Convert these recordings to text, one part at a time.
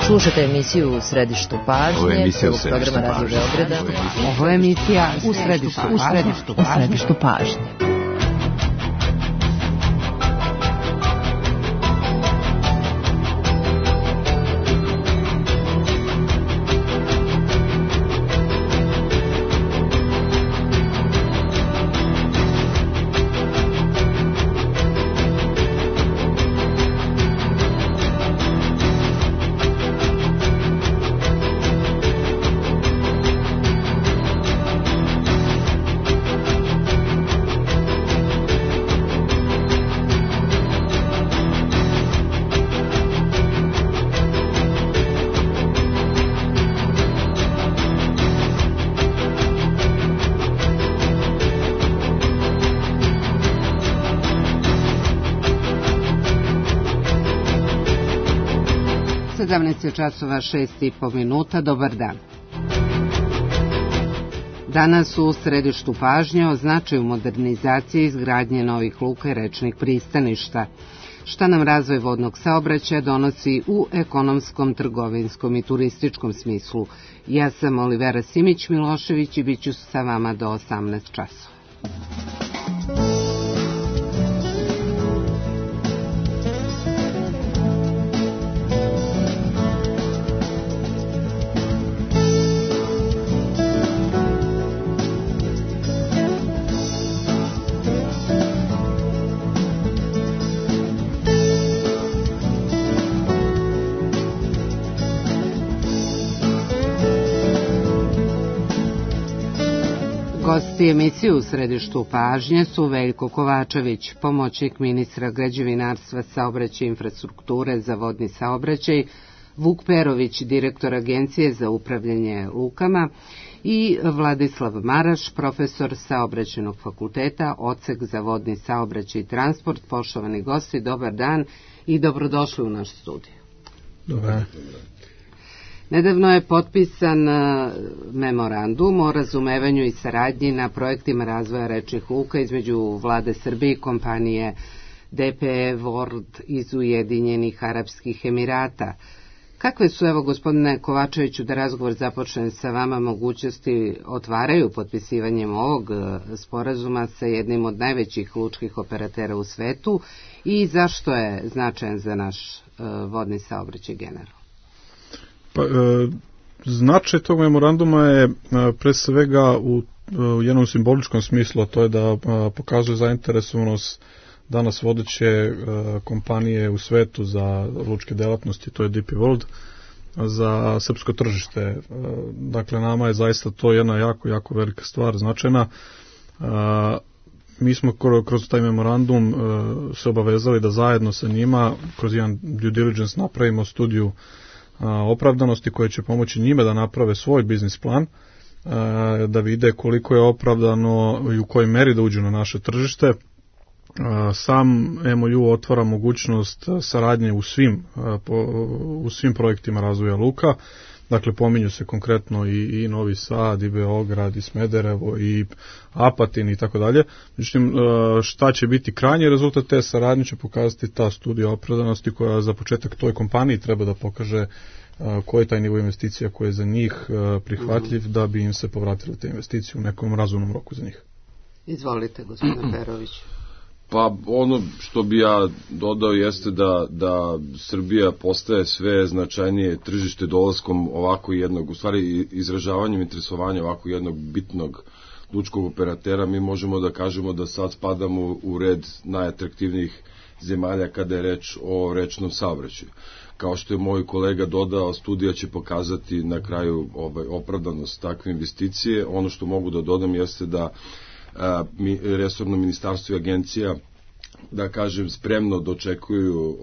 Slušate emisiju U središtu pažnje. Ovo je emisija U središtu programa Radio Beograda. Ovo je emisija U središtu pažnje. Časova 6:30, dobar dan. Danas u središtu pažnje o značaju modernizacije i izgradnje novih luka i rečnih pristaništa. Šta nam razvoj vodnog saobraćaja donosi u ekonomskom, trgovinskom i turističkom smislu. Ja sam Olivera Simić-Milošević i bit ću sa vama do 18 časova. Gosti emisije U središtu pažnje su Veljko Kovačević, pomoćnik ministra građevinarstva, saobraćaja i infrastrukture za vodni saobraćaj, Vuk Perović, direktor Agencije za upravljanje lukama i Vladislav Maraš, profesor Saobraćajnog fakulteta, odsek za vodni saobraćaj i transport. Poštovani gosti, dobar dan i dobrodošli u naš studij. Dobar. Nedavno je potpisan memorandum o razumevanju i saradnji na projektima razvoja rečnih luka između Vlade Srbije i kompanije DPE World iz Ujedinjenih Arapskih Emirata. Kakve su, evo gospodine Kovačeviću, da razgovor započne sa vama, mogućnosti otvaraju potpisivanjem ovog sporazuma sa jednim od najvećih lučkih operatera u svetu i zašto je značajan za naš vodni saobraćaj generalno? Značaj tog memoranduma je pre svega u jednom simboličkom smislu, a to je da pokazuje zainteresovanost danas vodeće kompanije u svetu za lučke delatnosti, to je DP World, za srpsko tržište. Dakle, nama je zaista to jedna jako velika stvar, značajna. Mi smo kroz taj memorandum se obavezali da zajedno sa njima, kroz jedan due diligence, napravimo studiju opravdanosti koje će pomoći njima da naprave svoj biznis plan, da vide koliko je opravdano i u kojoj meri da uđu na naše tržište. Sam MOU otvara mogućnost saradnje u svim projektima razvoja luka. Dakle, pominju se konkretno i Novi Sad, i Beograd, i Smederevo, i Apatin i tako dalje. Međutim, šta će biti krajnji rezultat te saradnje će pokazati ta studija opravdanosti koja za početak toj kompaniji treba da pokaže koji je taj nivo investicija koji je za njih prihvatljiv da bi im se povratile te investicije u nekom razumnom roku za njih. Izvolite, gospodine Perović. Pa ono što bi ja dodao jeste da Srbija postaje sve značajnije tržište dolaskom ovako jednog, u stvari izražavanjem interesovanja ovako jednog bitnog lučkog operatera. Mi možemo da kažemo da sad spadamo u red najatraktivnijih zemalja kada je reč o rečnom saobraćaju. Kao što je moj kolega dodao, studija će pokazati na kraju opravdanost takve investicije. Ono što mogu da dodam jeste da resorno ministarstvo i agencija, da kažem, spremno dočekuju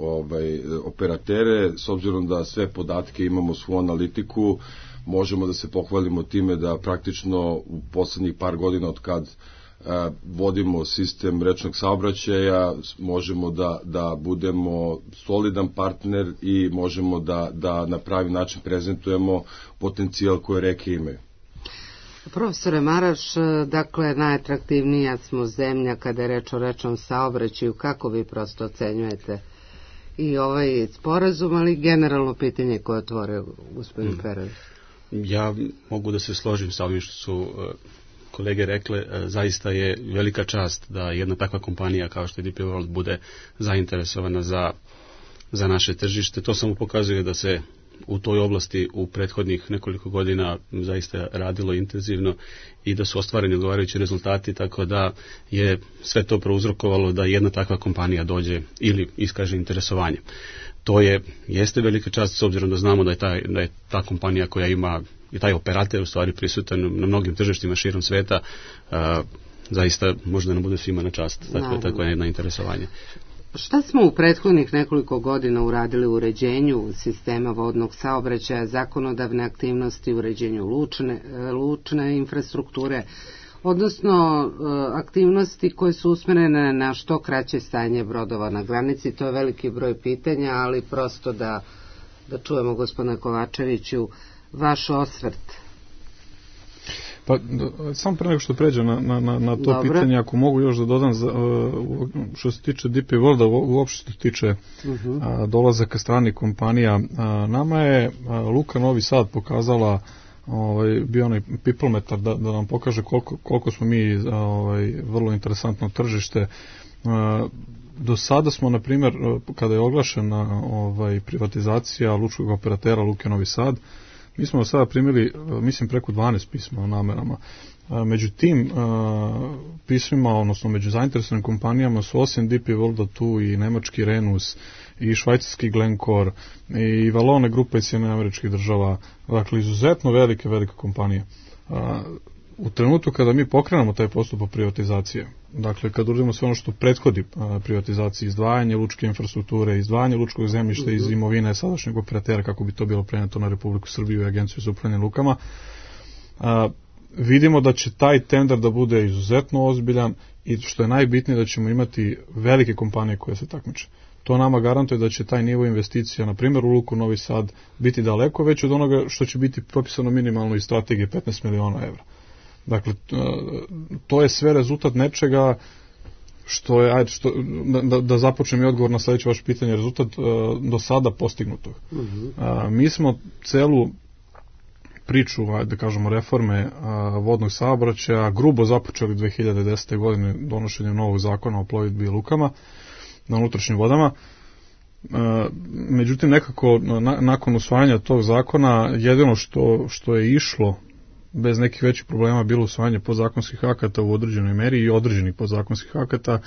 operatere, s obzirom da sve podatke imamo, svu analitiku, možemo da se pohvalimo time da praktično u poslednjih par godina od kad vodimo sistem rečnog saobraćaja, možemo da budemo solidan partner i možemo da na pravi način prezentujemo potencijal koje reke imaju. Profesore Maraš, dakle, najatraktivnija smo zemlja kada je reč o rečnom saobraćaju. Kako vi prosto ocenjujete i ovaj sporazum, ali generalno pitanje koje otvore gospodin Perović. Ja mogu da se složim sa ovim što su kolege rekle, zaista je velika čast da jedna takva kompanija kao što je DP World bude zainteresovana za naše tržište. To samo pokazuje da se u toj oblasti u prethodnih nekoliko godina zaista radilo intenzivno i da su ostvareni odgovarajući rezultati, tako da je sve to prouzrokovalo da jedna takva kompanija dođe ili iskaže interesovanje. To jeste velika čast s obzirom da znamo da je ta kompanija koja ima i taj operator u stvari prisutan na mnogim tržištima širom sveta, zaista možda nam bude svima na čast tako je jedno interesovanje. Šta smo u prethodnih nekoliko godina uradili u uređenju sistema vodnog saobraćaja, zakonodavne aktivnosti, uređenju lučne infrastrukture, odnosno aktivnosti koje su usmerene na što kraće stajanje brodova na granici? To je veliki broj pitanja, ali prosto da čujemo, gospodine Kovačeviću, vaš osvrt. Pa, samo pre nego što pređem na to pitanje, ako mogu još da dodam, što se tiče DP Worlda, uopšte što se tiče dolazaka stranih kompanija, nama je Luka Novi Sad pokazala, bio onaj pipometar da nam pokaže koliko smo mi vrlo interesantno tržište. Do sada smo, na primjer, kada je oglašena privatizacija lučkog operatera Luke Novi Sad, mi smo sada primili, mislim, preko 12 pisma o namerama. Među tim pismima, odnosno među zainteresovanim kompanijama su osim DP Worlda tu i nemački Renus, i švajcarski Glencore, i Valone grupa iz Sjedinjenih Američkih Država, dakle izuzetno velike kompanije. U trenutku kada mi pokrenemo taj postupak privatizacije, dakle kad uradimo sve ono što prethodi privatizaciji, izdvajanje lučke infrastrukture, izdvajanje lučkog zemljišta iz imovine sadašnjeg operatera kako bi to bilo preneto na Republiku Srbiju i Agenciju za upravljanje lukama, vidimo da će taj tender da bude izuzetno ozbiljan i što je najbitnije da ćemo imati velike kompanije koje se takmiče. To nama garantuje da će taj nivo investicija, na primjer u Luku Novi Sad, biti daleko veći od onoga što će biti propisano minimalno iz strategije 15 miliona evra. Dakle, to je sve rezultat nečega što je, da započnem i odgovor na sljedeće vaše pitanje, rezultat do sada postignutog. Mi smo celu priču, da kažemo, reforme vodnog saobraćaja grubo započeli 2010. godine donošenjem novog zakona o plovidbi i lukama na unutrašnjim vodama. Međutim, nekako nakon usvajanja tog zakona jedino što je išlo bez nekih većih problema bilo usvajanje podzakonskih akata u određenoj meri i određenih podzakonskih akata.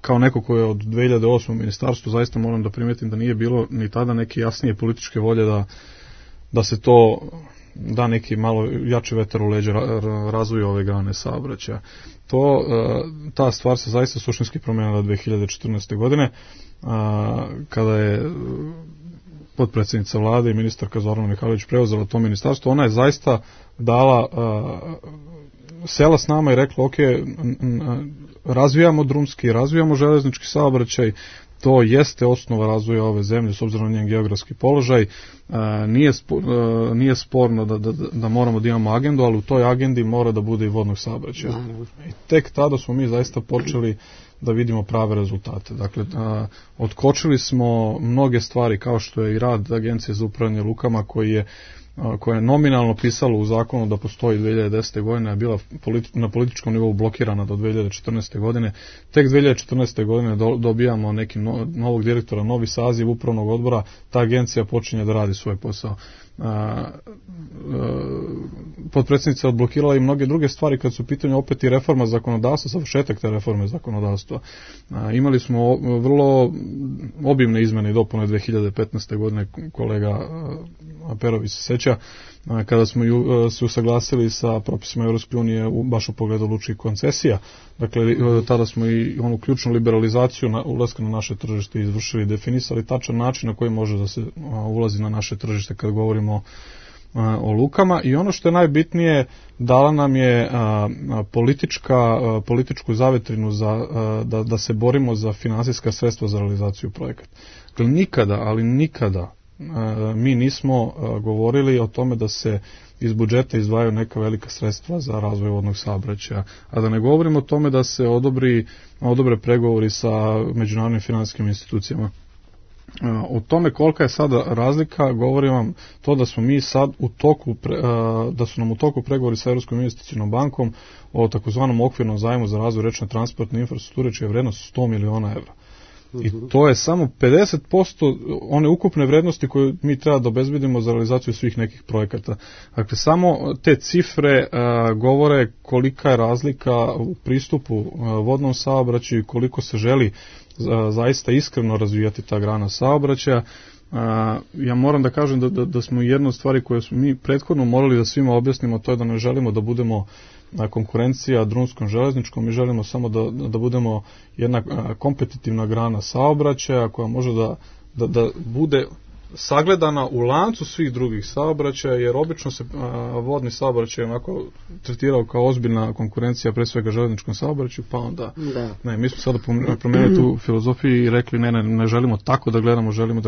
Kao neko ko je od 2008. u ministarstvu, zaista moram da primetim da nije bilo ni tada neke jasnije političke volje da se to da neki malo jači vetar u leđa razvoju ove grane saobraćaja. Ta stvar se zaista suštinski promenila 2014. godine, kada je potpredsjednica vlade i ministarka Zorana Mihajlović preuzela to ministarstvo. Ona je zaista dala, sela s nama i rekla, ok, razvijamo drumski, razvijamo železnički saobraćaj, to jeste osnova razvoja ove zemlje s obzirom na njen geografski položaj. Nije sporno da moramo da imamo agendu, ali u toj agendi mora da bude i vodnog saobraćaja. I tek tada smo mi zaista počeli da vidimo prave rezultate. Dakle, otkočili smo mnoge stvari kao što je i rad Agencije za upravljanje lukama koja je nominalno pisalo u zakonu da postoji 2010. godine, a bila na političkom nivou blokirana do 2014. godine. Tek 2014. godine dobijamo neki novog direktora, novi saziv upravnog odbora, ta agencija počinje da radi svoj posao. Potpredsjednica odblokirala i mnoge druge stvari kad su u pitanju opet i reforma zakonodavstva, završetak te reforme zakonodavstva. Imali smo vrlo obimne izmene i dopune 2015. godine, kolega Perović se seća, kada smo se usaglasili sa propisima Europske unije baš u pogledu lučkih koncesija. Dakle, tada smo i onu ključnu liberalizaciju ulaska na naše tržište izvršili, definisali tačan način na koji može da se ulazi na naše tržište kad govorimo o lukama. I ono što je najbitnije, dala nam je političku zavetrinu da se borimo za finansijska sredstva za realizaciju projekata. Dakle, nikada, ali nikada mi nismo govorili o tome da se iz budžeta izdvajaju neka velika sredstva za razvoj vodnog saobraćaja, a da ne govorimo o tome da se odobre pregovori sa međunarodnim finansijskim institucijama. O tome kolika je sada razlika govori vam to da smo mi sad da su nam u toku pregovori sa Evropskom investicionom bankom o takozvanom okvirnom zajmu za razvoj rečne transportne infrastrukture, čija je vrednost 100 miliona evra. I to je samo 50% one ukupne vrednosti koje mi treba da obezbedimo za realizaciju svih nekih projekata. Dakle, samo te cifre govore kolika je razlika u pristupu vodnom saobraćaju i koliko se želi zaista iskreno razvijati ta grana saobraćaja. Ja moram da kažem da smo jedna od stvari koje smo mi prethodno morali da svima objasnimo, to je da ne želimo da budemo konkurencija drumskom železničkom, mi želimo samo da budemo jedna kompetitivna grana saobraćaja koja može da bude sagledana u lancu svih drugih saobraćaja, jer obično se vodni saobraćaj onako tretirao kao ozbiljna konkurencija pre svega železničkom saobraćaju, pa onda mi smo sada promenili tu filozofiju i rekli ne želimo tako da gledamo, želimo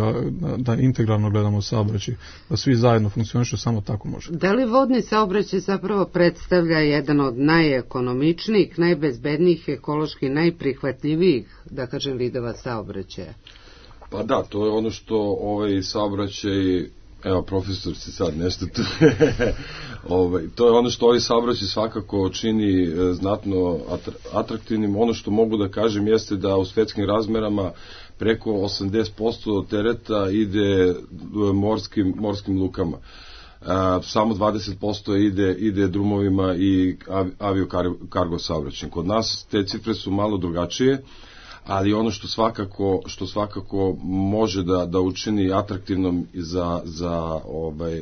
da integralno gledamo saobraćaj, da svi zajedno funkcionišu, samo tako može. Da li vodni saobraćaj zapravo predstavlja jedan od najekonomičnijih, najbezbednijih, ekološki najprihvatljivijih, da kažem, vidova saobraćaja? Pa da, to je ono što ovaj saobraćaj, evo profesor se sad nešto tu, to je ono što ovaj saobraćaj svakako čini znatno atraktivnim. Ono što mogu da kažem jeste da u svetskim razmerama preko 80% tereta ide morskim lukama. Samo 20% ide drumovima i aviokargo saobraćajem. Kod nas te cifre su malo drugačije, ali ono što svakako može da učini atraktivnom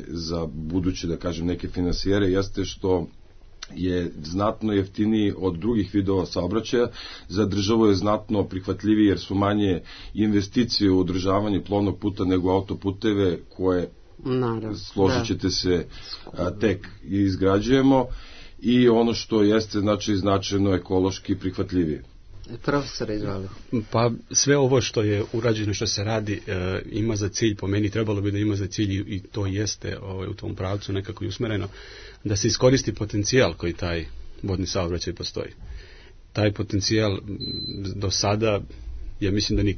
za buduće, da kažem, neke finansijere jeste što je znatno jeftiniji od drugih vidova saobraćaja, za državu je znatno prihvatljiviji jer su manje investicije u održavanje plovnog puta nego autoputeve koje, složit ćete se, tek izgrađujemo, i ono što jeste značajno ekološki prihvatljivije. Profesor, izvali. Pa sve ovo što je urađeno, što se radi, ima za cilj, po meni trebalo bi da ima za cilj, i to jeste u tom pravcu nekako i usmereno, da se iskoristi potencijal koji taj vodni saobraćaj postoji. Taj potencijal do sada, ja mislim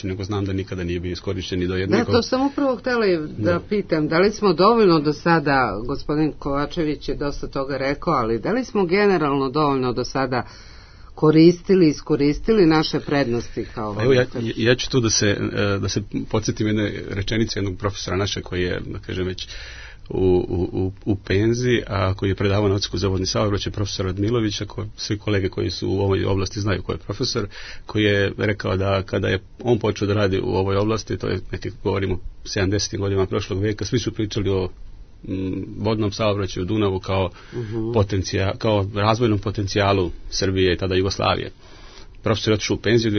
nego znam da nikada nije bio iskorišćen i do jednog... Da, to sam upravo htjela da pitam, da li smo dovoljno do sada, gospodin Kovačević je dosta toga rekao, ali da li smo generalno dovoljno do sada iskoristili naše prednosti kao... Evo, ja ću tu da se podsjetim jedne rečenice jednog profesora naše koji je, da kažem, već u penziji, a koji je predavao na Odsjeku za vodni saobraćaj, profesor Radmilovića, svi kolege koji su u ovoj oblasti znaju ko je profesor, koji je rekao da kada je on počeo da radi u ovoj oblasti, to je govorimo 70. godina prošlog vijeka, svi su pričali o vodnom saobraćaju, Dunavu kao kao razvojnom potencijalu Srbije i tada Jugoslavije. Profesor je otišao u penziju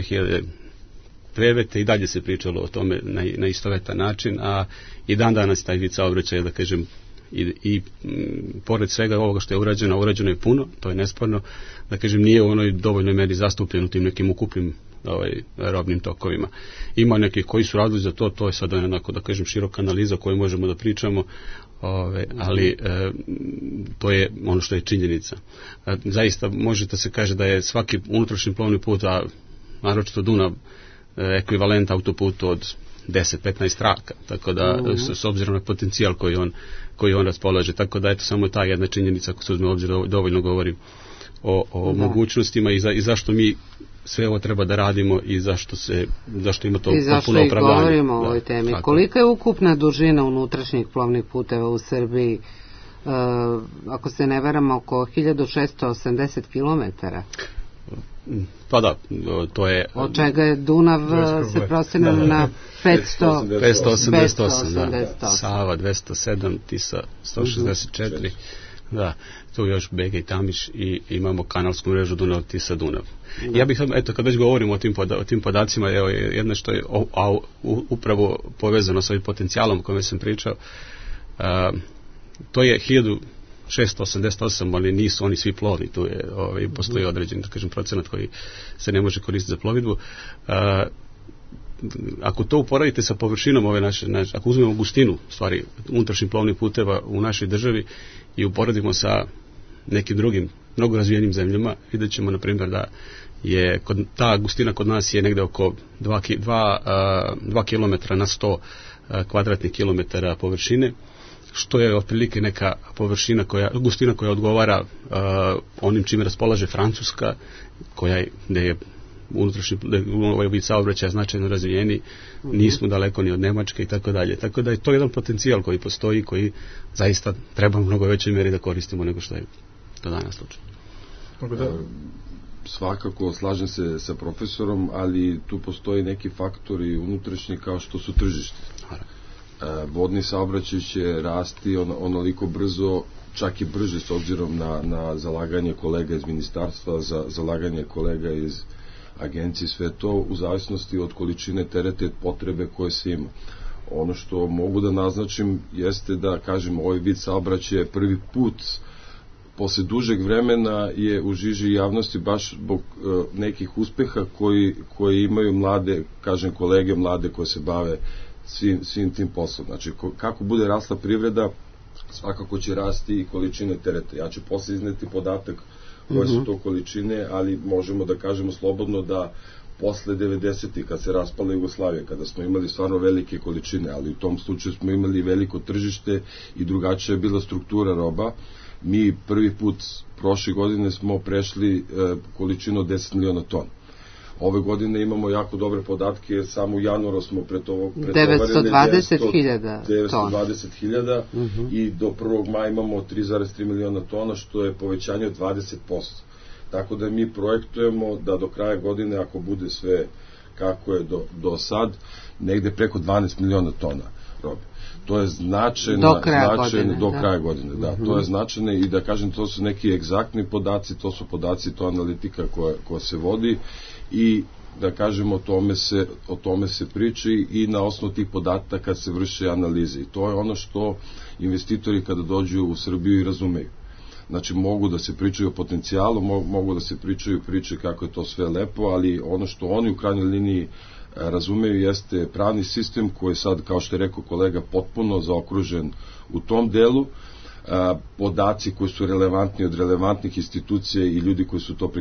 2009. i dalje se pričalo o tome na istovetan način, a i dan danas taj vid saobraćaja, da kažem, i pored svega ovoga što je urađeno je puno, to je nesporno, da kažem, nije u onoj dovoljnoj meri zastupljen u tim nekim ukupnim robnim tokovima. Ima neki koji su radili za to je sada onako, da kažem, široka analiza o kojoj možemo da pričamo, ali to je ono što je činjenica. Zaista možete se kaže da je svaki unutrašnji plovni put, a naročito Dunav, ekvivalent autoputu od 10-15 traka, tako da s obzirom na potencijal koji on raspolaže, tako da eto samo ta jedna činjenica, ako se uzme obzir, dovoljno govorim o mogućnostima i zašto mi sve ovo treba da radimo i zašto ima to potpuno opravdanje. I zašto i govorimo o ovoj temi. Kolika je ukupna dužina unutrašnjih plovnih puteva u Srbiji? Ako se ne varamo, oko 1680 kilometara. Pa da, to je... Od čega je Dunav se prostinao na 588, da. Sava 207, Tisa 164, da, tu još Bega i Tamiš i imamo kanalsku mrežu Dunav, Tisa, Dunav. Ja bih, eto, kad već govorimo o tim podacima, evo jedno što je upravo povezano sa ovim potencijalom o kojem sam pričao, to je 1688, ali nisu oni svi plovni, tu je, postoji određen, da kažem, procenat koji se ne može koristiti za plovidbu. ako to uporadite sa površinom ove naše, ako uzmemo gustinu stvari unutrašnjih plovnih puteva u našoj državi i uporedimo sa nekim drugim mnogo razvijenim zemljama, vidjet ćemo na primjer da je ta gustina kod nas je negde oko 2 km na 100 kvadratnih kilometara površine, što je otprilike neka gustina koja odgovara onim čime raspolaže Francuska, gde je unutrašnji ovaj vid saobraćaja značajno razvijeni, nismo daleko ni od Nemačke i tako dalje. Tako da je to jedan potencijal koji postoji, koji zaista treba u mnogo većoj mjeri da koristimo nego što je do danas slučaj. Svakako slažem se sa profesorom, ali tu postoji neki faktori unutrašnji kao što su tržište. Vodni saobraćaj će rasti onoliko brzo, čak i brže s obzirom na zalaganje kolega iz ministarstva, za zalaganje kolega iz agencije, sve to u zavisnosti od količine tereta i potrebe koje se ima. Ono što mogu da naznačim jeste da, kažem, ovaj vid saobraćaja prvi put posle dužeg vremena je u žiži javnosti baš zbog nekih uspeha koji imaju mlade, kažem, kolege mlade koje se bave svim tim poslom. Znači, kako bude rasla privreda, svakako će rasti i količine tereta. Ja ću posle izneti podatak koje su to količine, ali možemo da kažemo slobodno da posle 90-ih, kad se raspala Jugoslavija, kada smo imali stvarno velike količine, ali u tom slučaju smo imali veliko tržište i drugačija je bila struktura roba. Mi prvi put prošle godine smo prešli količinu od 10 miliona tona. Ove godine imamo jako dobre podatke, samo u januaru smo pretovarili 920.000 i do 1. maja imamo 3,3 miliona tona, što je povećanje od 20%. Tako da mi projektujemo da do kraja godine, ako bude sve kako je do sad, negde preko 12 miliona tona robe. To je značajno do kraja godine, da. To je značajno i da kažem, to su neki egzaktni podaci, to su podaci, to analitika koja se vodi i da kažem, o tome se priči i na osnovu tih podataka se vrše analize. I to je ono što investitori kada dođu u Srbiju i razumeju. Znači, mogu da se pričaju o potencijalu, mogu da se pričaju priče kako je to sve lepo, ali ono što oni u krajnjoj liniji razumeju jeste pravni sistem koji je sad, kao što je rekao kolega, potpuno zaokružen u tom delu, podaci koji su relevantni od relevantnih institucija i ljudi koji su to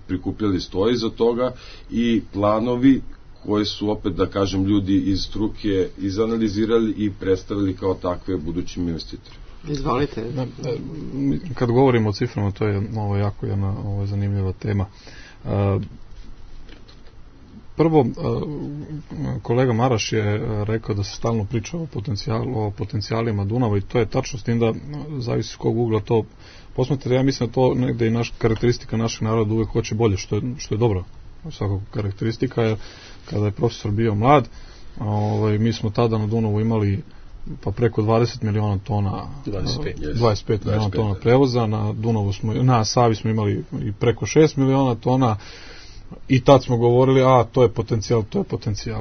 prikupljali stoji za toga i planovi koje su, opet da kažem, ljudi iz struke izanalizirali i predstavili kao takve budućim investitorima. Izvolite. Kad govorimo o ciframa, to je jako jedna zanimljiva tema. Prvo, kolega Maraš je rekao da se stalno priča o potencijalima Dunava i to je tačno, s tim da zavisi s kog ugla to posmatrate. Ja mislim da to negde i karakteristika našeg naroda uvek hoće bolje, što je dobro. Svakako karakteristika je, kada je profesor bio mlad, mi smo tada na Dunavu imali pa preko 20 miliona tona, 25 miliona tona prevoza, na Savi smo imali i preko 6 miliona tona. I tad smo govorili, to je potencijal.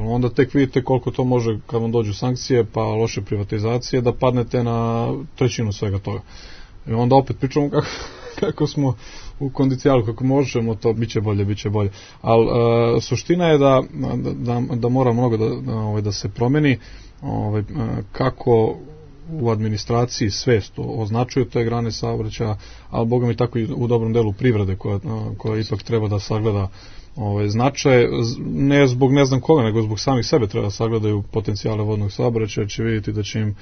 Onda tek vidite koliko to može, kad vam dođu sankcije, pa loše privatizacije, da padnete na trećinu svega toga. I onda opet pričamo kako smo u kondicijalu, kako možemo, to biće bolje. Ali suština je da mora mnogo da se promeni, kako u administraciji svest označuju te grane saobraćaja, ali boga mi tako i u dobrom delu privrede koja ipak treba da sagleda značaj, ne zbog ne znam koga, nego zbog samih sebe treba da sagledaju potencijale vodnog saobraćaja, će vidjeti da će im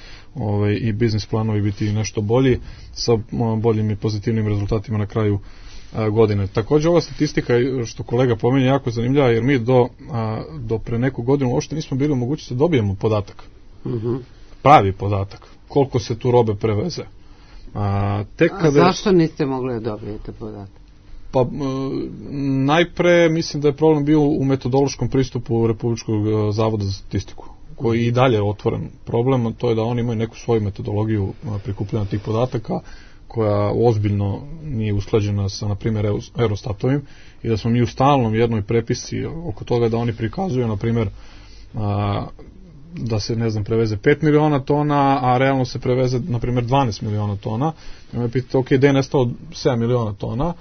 i biznis planovi biti nešto bolji, sa boljim i pozitivnim rezultatima na kraju godine. Također ova statistika, što kolega pomenje, jako zanimljiva, jer mi do pre neku godinu uopšte nismo bili u mogućnosti da dobijemo podatak. Pravi podatak. Koliko se tu robe preveze. Zašto niste mogli da dobijete podatak? Pa, najpre mislim da je problem bio u metodološkom pristupu Republičkog zavoda za statistiku, koji i dalje je otvoren problem, to je da oni imaju neku svoju metodologiju prikupljanja tih podataka, koja ozbiljno nije usklađena sa, na primjer, Eurostatovim, i da smo mi u stalnom jednoj prepisci oko toga da oni prikazuju, na primjer, da se, preveze 5 miliona tona, a realno se preveze, na primjer, 12 miliona tona. I me pitate, gde je nestalo 7 miliona tona?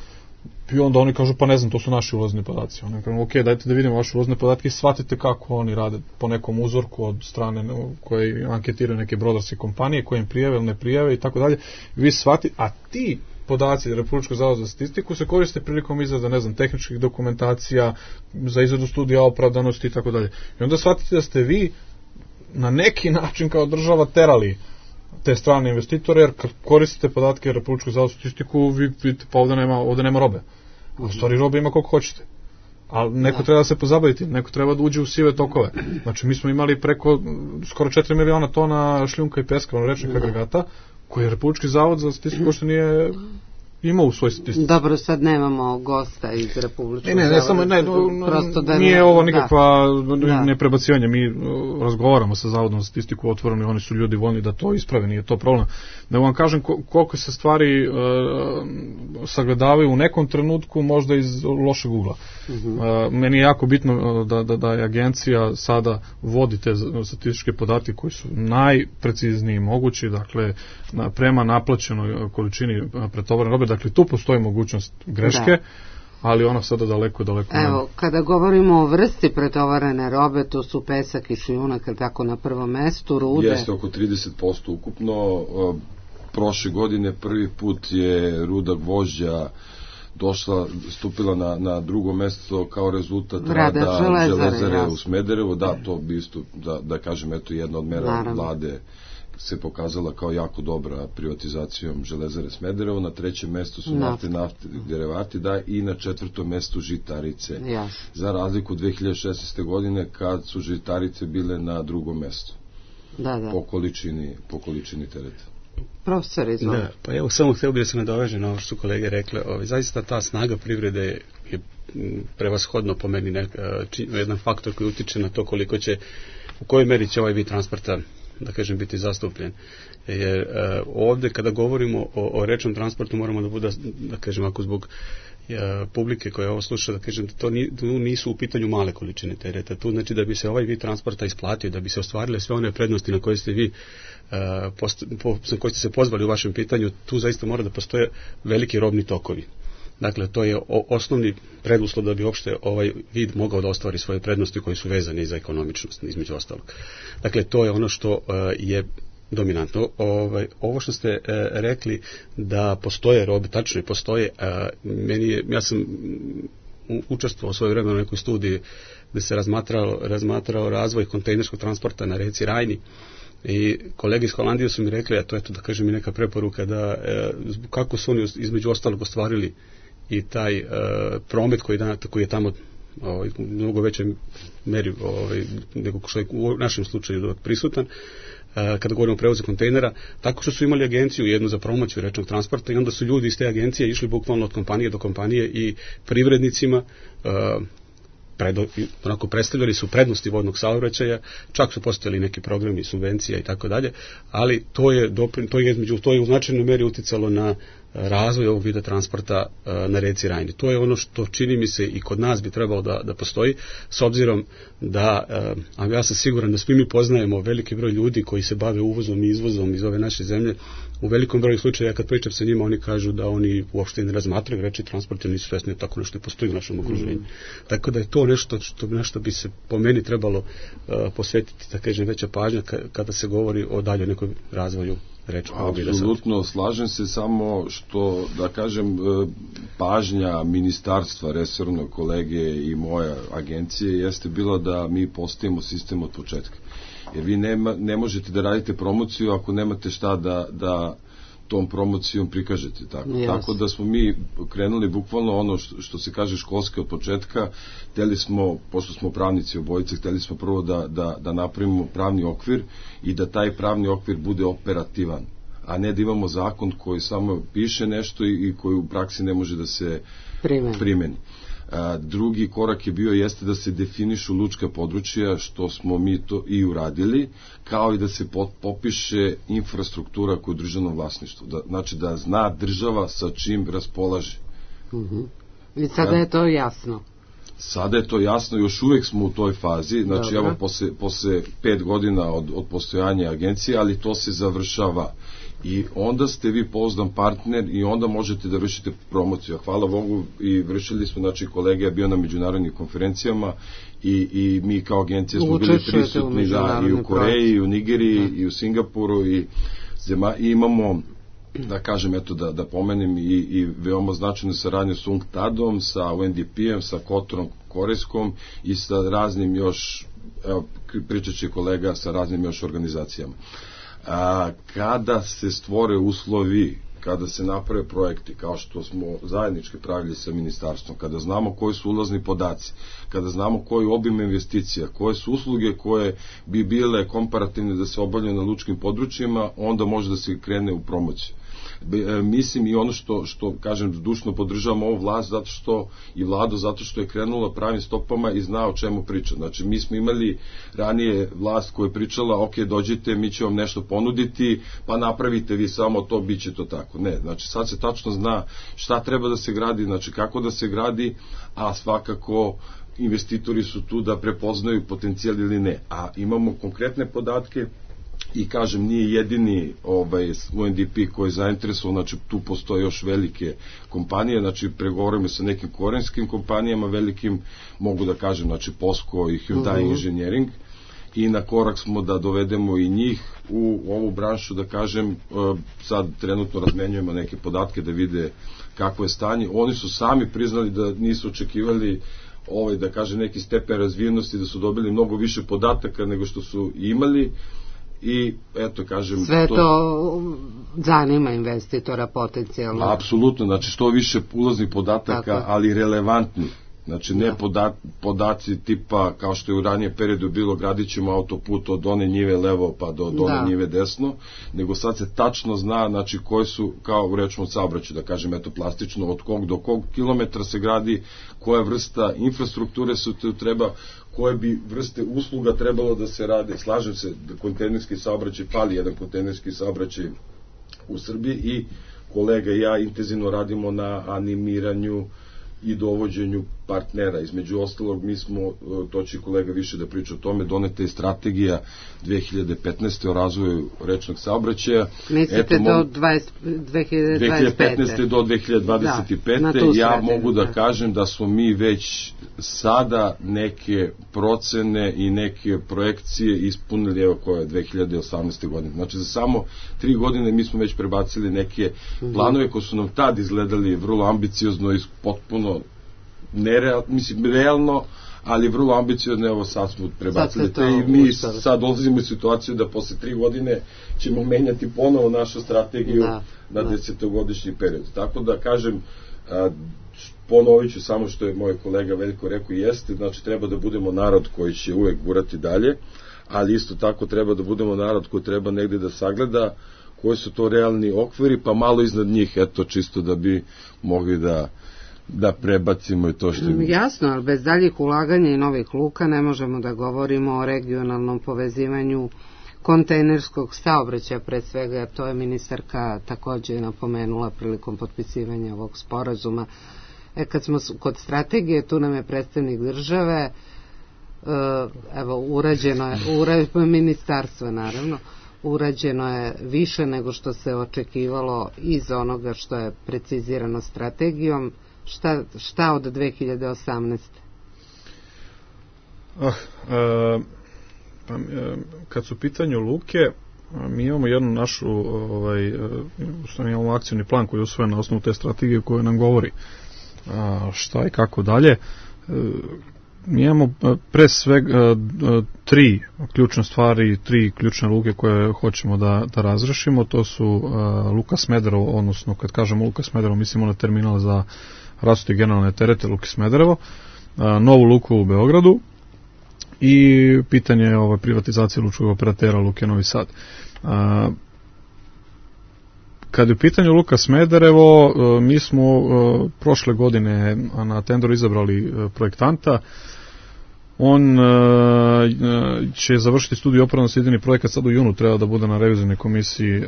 I onda oni kažu, pa ne znam, to su naši ulazni podaci. Oni kažu, ok, dajte da vidimo vaše ulazne podatke i shvatite kako oni rade po nekom uzorku od strane koje anketiraju neke brodarske kompanije, koje im prijave ili ne prijave i tako dalje. Vi shvatite, a ti podaci Republičkog zavoda za statistiku se koriste prilikom izrade, ne znam, tehničkih dokumentacija, za izradu studija opravdanosti i tako dalje. I onda shvatite da ste vi na neki način kao država terali te strane investitore, jer kad koristite podatke Republičkog zavoda za statistiku, vi vidite, pa ovde nema robe. A u stvari robe ima koliko hoćete. Ali neko treba da se pozabaviti, neko treba da uđe u sive tokove. Znači, mi smo imali preko skoro 4 miliona tona šljunka i peska, rečnih agregata, koji je Republički zavod za statistiku što nije imao u svoj statistici. Dobro, sad nemamo gosta iz Republičkog zavoda. Nije ovo nikakva neprebacivanje. Mi razgovaramo sa Zavodom za statistiku otvoreno i oni su ljudi voljni da to isprave, nije to problem. Da vam kažem koliko se stvari sagledavaju u nekom trenutku, možda iz lošeg ugla. Meni je jako bitno da je agencija sada vodi te statističke podatke koji su najprecizniji mogući, dakle prema naplaćenoj količini pretovarene robe. Dakle, tu postoji mogućnost greške, ali ona sada daleko. Evo, kada govorimo o vrsti pretovarene robe, to su pesak i šljunak, tako na prvom mestu, rude. Jeste oko 30% ukupno. Prošle godine prvi put je ruda gvožđa stupila na drugo mesto kao rezultat rada železare u Smederevu. Da, to bi isto, da kažem, eto jedna od mera vlade se pokazala kao jako dobra privatizacijom železare Smederevo. Na trećem mestu su nafte derivati, i na četvrtom mestu žitarice. Za razliku 2016. godine kad su žitarice bile na drugom mestu. Po količini tereta. Profesor, izvolite. Pa evo, samo htio bih da se nadoveže na ovo što su kolege rekle. Zaista ta snaga privrede je prevashodno po meni jedan faktor koji utiče na to koliko će, u kojoj meri će ovaj vid transporta, da kažem, biti zastupljen. Jer ovde kada govorimo o rečnom transportu moramo da bude, da kažem, ako zbog publike koja ovo sluša, da kažem, da to nisu u pitanju male količine tereta. Tu znači da bi se ovaj vid transporta isplatio, da bi se ostvarile sve one prednosti na koje ste vi koji ste se pozvali u vašem pitanju, tu zaista mora da postoje veliki robni tokovi. Dakle, to je osnovni preduslov da bi uopšte ovaj vid mogao da ostvari svoje prednosti koje su vezane za ekonomičnost, između ostalog. Dakle, to je ono što je dominantno. Ovo što ste rekli da postoje robe, tačno je, postoje. Ja sam učestvovao u svoje vremenu u nekoj studiji gde se razmatrao razvoj kontejnerskog transporta na reci Rajni. I kolege iz Holandije su mi rekli, a to je to, da kažem, i neka preporuka, da kako su oni između ostalog ostvarili i taj promet koji je tamo u mnogo većoj meri nego što je u našem slučaju prisutan, kada govorimo o prevozu kontejnera, tako što su imali agenciju jednu za promociju rečnog transporta i onda su ljudi iz te agencije išli bukvalno od kompanije do kompanije i privrednicima onako predstavljali su prednosti vodnog saobraćaja, čak su postojali neki programi subvencija i tako dalje, ali to je u značajnoj meri uticalo na razvoj ovog vida transporta na reci Rajni. To je ono što čini mi se i kod nas bi trebalo da postoji, s obzirom da, a ja sam siguran da svi mi poznajemo veliki broj ljudi koji se bave uvozom i izvozom iz ove naše zemlje. U velikom broju slučaja kad pričam sa njima, oni kažu da oni uopšte ne razmatraju reči transport, jer nisu svesni tako nešto postoji u našem okruženju. Tako da je to nešto bi se po meni trebalo posvetiti, da kažem, veća pažnja kada se govori o dalje nekoj razvoju. Apsolutno, slažem se, samo što, da kažem, pažnja ministarstva, resornog kolege i moja agencije jeste bila da mi postavimo sistem od početka. Jer vi ne možete da radite promociju ako nemate šta da tom promocijom prikažete. Tako da smo mi krenuli bukvalno ono što se kaže školske od početka. Hteli smo, pošto smo pravnici obojice, hteli smo prvo da napravimo pravni okvir i da taj pravni okvir bude operativan, a ne da imamo zakon koji samo piše nešto i koji u praksi ne može da se primeni. Drugi korak je bio jeste da se definišu lučka područja, što smo mi to i uradili, kao i da se popiše infrastruktura koja je u državnom vlasništvu. Znači da zna država sa čim raspolaže. I sada je to jasno. Sada je to jasno, još uvek smo u toj fazi, znači evo posle 5 godina od postojanja agencije, ali to se završava. I onda ste vi pouzdan partner i onda možete da vršite promociju. Hvala Bogu, i vršili smo, znači kolega je bio na međunarodnim konferencijama i mi kao agencija smo bili prisutni i u Koreji, i u Nigeriji, i u Singapuru, i imamo, da kažem, eto da pomenem, i veoma značajnu saradnju s UNCTAD-om, sa UNDP-em, sa Kotorom korejskom i sa raznim još, evo, pričat će kolega, sa raznim još organizacijama. Kada se stvore uslovi, kada se naprave projekti, kao što smo zajednički pravili sa ministarstvom, kada znamo koji su ulazni podaci, kada znamo koji obim investicija, koje su usluge koje bi bile komparativne da se obavljaju na lučkim područjima, onda može da se krene u promociju. Mislim, i ono što kažem, zdušno podržavam ovu vlast i vladu, zato što je krenula pravim stopama i zna o čemu priča. Znači, mi smo imali ranije vlast koja je pričala, ok, dođite, mi ćemo vam nešto ponuditi, pa napravite vi samo to, bit će to tako. Ne, znači sad se tačno zna šta treba da se gradi, znači kako da se gradi, a svakako investitori su tu da prepoznaju potencijal ili ne. A imamo konkretne podatke. I kažem, nije jedini UNDP koji je zainteresovan, znači tu postoje još velike kompanije, znači pregovorimo sa nekim korejskim kompanijama velikim, mogu da kažem, znači POSCO i Hyundai Engineering, i na korak smo da dovedemo i njih u ovu branšu, da kažem, sad trenutno razmenjujemo neke podatke da vide kako je stanje. Oni su sami priznali da nisu očekivali da kažem neki stepen razvijenosti, da su dobili mnogo više podataka nego što su imali. I eto, kažem, sve to zanima investitora potencijalno. Apsolutno, znači što više ulaznih podataka, tako, ali relevantni. Znači ne podaci tipa kao što je u ranije periodu bilo, gradit ćemo autoput od one njive levo pa do one njive desno, nego sad se tačno zna, znači koji su, kao u rečnom saobraćaju, da kažem, eto plastično, od kog do kog kilometra se gradi, koja vrsta infrastrukture se tu treba, koje bi vrste usluga trebalo da se rade. Slažem se da kontejnerski saobraćaj, fali jedan kontejnerski saobraćaj u Srbiji, i kolega i ja intenzivno radimo na animiranju i dovođenju partnera. Između ostalog, mi smo, to će kolega više da priča o tome, doneta je strategija 2015. o razvoju rečnog saobraćaja. Mislite do 2015. do 2025. Ja mogu da kažem da smo mi već sada neke procene i neke projekcije ispunili, evo koja je 2018. godine. Znači za samo 3 godine mi smo već prebacili neke planove koji su nam tad izgledali vrlo ambiciozno i potpuno realno, ali vrlo ambiciozno. Evo sad smo prebacili te i mi sad dolazimo u situaciju da posle 3 godine ćemo menjati ponovo našu strategiju na 10-godišnji period. Tako da kažem, ponovit ću samo što je moj kolega Veljko rekao, jeste, znači treba da budemo narod koji će uvek gurati dalje, ali isto tako treba da budemo narod koji treba negde da sagleda koji su to realni okviri, pa malo iznad njih, eto, čisto da bi mogli da prebacimo i to što je. Jasno, ali bez daljih ulaganja i novih luka ne možemo da govorimo o regionalnom povezivanju kontejnerskog saobraćaja, pre svega, jer to je ministarka takođe napomenula prilikom potpisivanja ovog sporazuma. Kad smo kod strategije, tu nam je predstavnik države, evo, urađeno je ministarstva, naravno, urađeno je više nego što se očekivalo iz onoga što je precizirano strategijom. Šta od 2018? Kad su u pitanju luke, mi imamo jednu našu imamo akcijni plan koji je usvojen na osnovu te strategije koja nam govori šta i kako dalje. Mi imamo pre svega 3 ključne stvari, 3 ključne luke koje hoćemo da razrešimo. To su Luka Smederevo, odnosno kad kažemo Luka Smederevo mislimo na terminal za rasute generalne terete Luke Smederevo, novu luku u Beogradu i pitanje privatizacije lučkog operatera Luke Novi Sad. Kad je u pitanju Luka Smederevo, mi smo prošle godine na tenderu izabrali projektanta. On će završiti studiju opravdanosti, idejni projekat sad u junu treba da bude na revizijnoj komisiji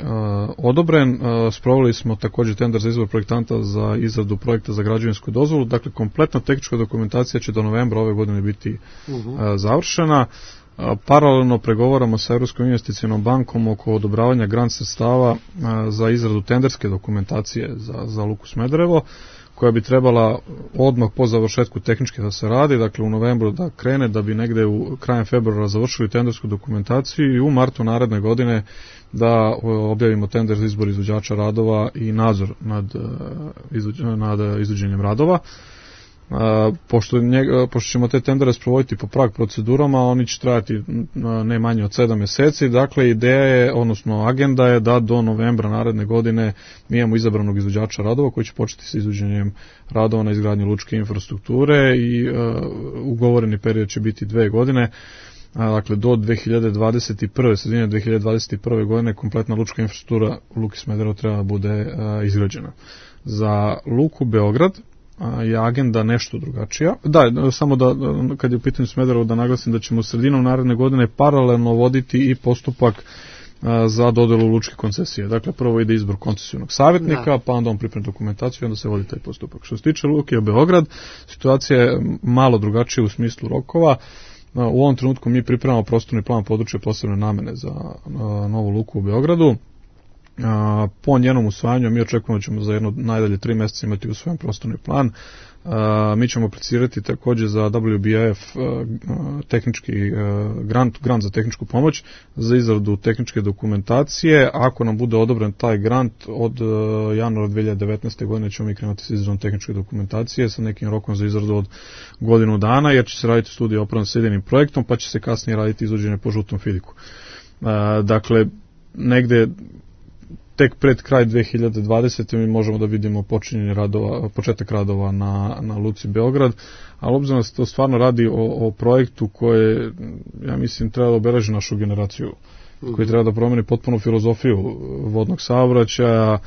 odobren. Sproveli smo također tender za izbor projektanta za izradu projekta za građevinsku dozvolu, dakle kompletna tehnička dokumentacija će do novembra ove godine biti završena. Paralelno pregovaramo sa Europskom investicionom bankom oko odobravanja grant sredstava za izradu tenderske dokumentacije za Luku Smederevo, koja bi trebala odmah po završetku tehničke da se radi, dakle u novembru da krene, da bi negde u krajem februara završili tendersku dokumentaciju i u martu naredne godine da objavimo tender za izbor izvođača radova i nadzor nad izvođenjem radova. Pošto ćemo te tendere sprovoditi po prag procedurama, oni će trajati ne manje od 7 mjeseci, dakle ideja je, odnosno agenda je da do novembra naredne godine mi imamo izabranog izvođača radova koji će početi sa izvođenjem radova na izgradnji lučke infrastrukture i ugovoreni period će biti 2 godine. Dakle, do 2021. sredine 2021. godine kompletna lučka infrastruktura u Luki Smederevo treba da bude izgrađena. Za Luku Beograd je agenda nešto drugačija. Da, samo da, kad je u pitanju Smederevo, da naglasim da ćemo sredinom naredne godine paralelno voditi i postupak za dodelu lučke koncesije. Dakle, prvo ide izbor koncesijnog savjetnika, pa onda on pripremi dokumentaciju i onda se vodi taj postupak. Što se tiče Luke Beograd, situacija je malo drugačija u smislu rokova. U ovom trenutku mi pripremamo prostorni plan područja posebne namene za novu luku u Beogradu. Po njenom usvajanju mi očekujemo da ćemo za jedno najdalje 3 mjeseca imati usvojen prostorni plan. Mi ćemo aplicirati također za WBF tehnički grant za tehničku pomoć za izradu tehničke dokumentacije. Ako nam bude odobren taj grant od januara 2019. godine ćemo mi krenuti s izradom tehničke dokumentacije sa nekim rokom za izradu od godinu dana, jer će se raditi studija opravdanosti s idejnim projektom, pa će se kasnije raditi izvođenje po žutom fidiku. Dakle, negde tek pred kraj 2020. mi možemo da vidimo početak radova na Luci Beograd, ali obzirom da se to stvarno radi o projektu koje, ja mislim, treba da obeleži našu generaciju, koji treba da promeni potpuno filozofiju vodnog saobraćaja,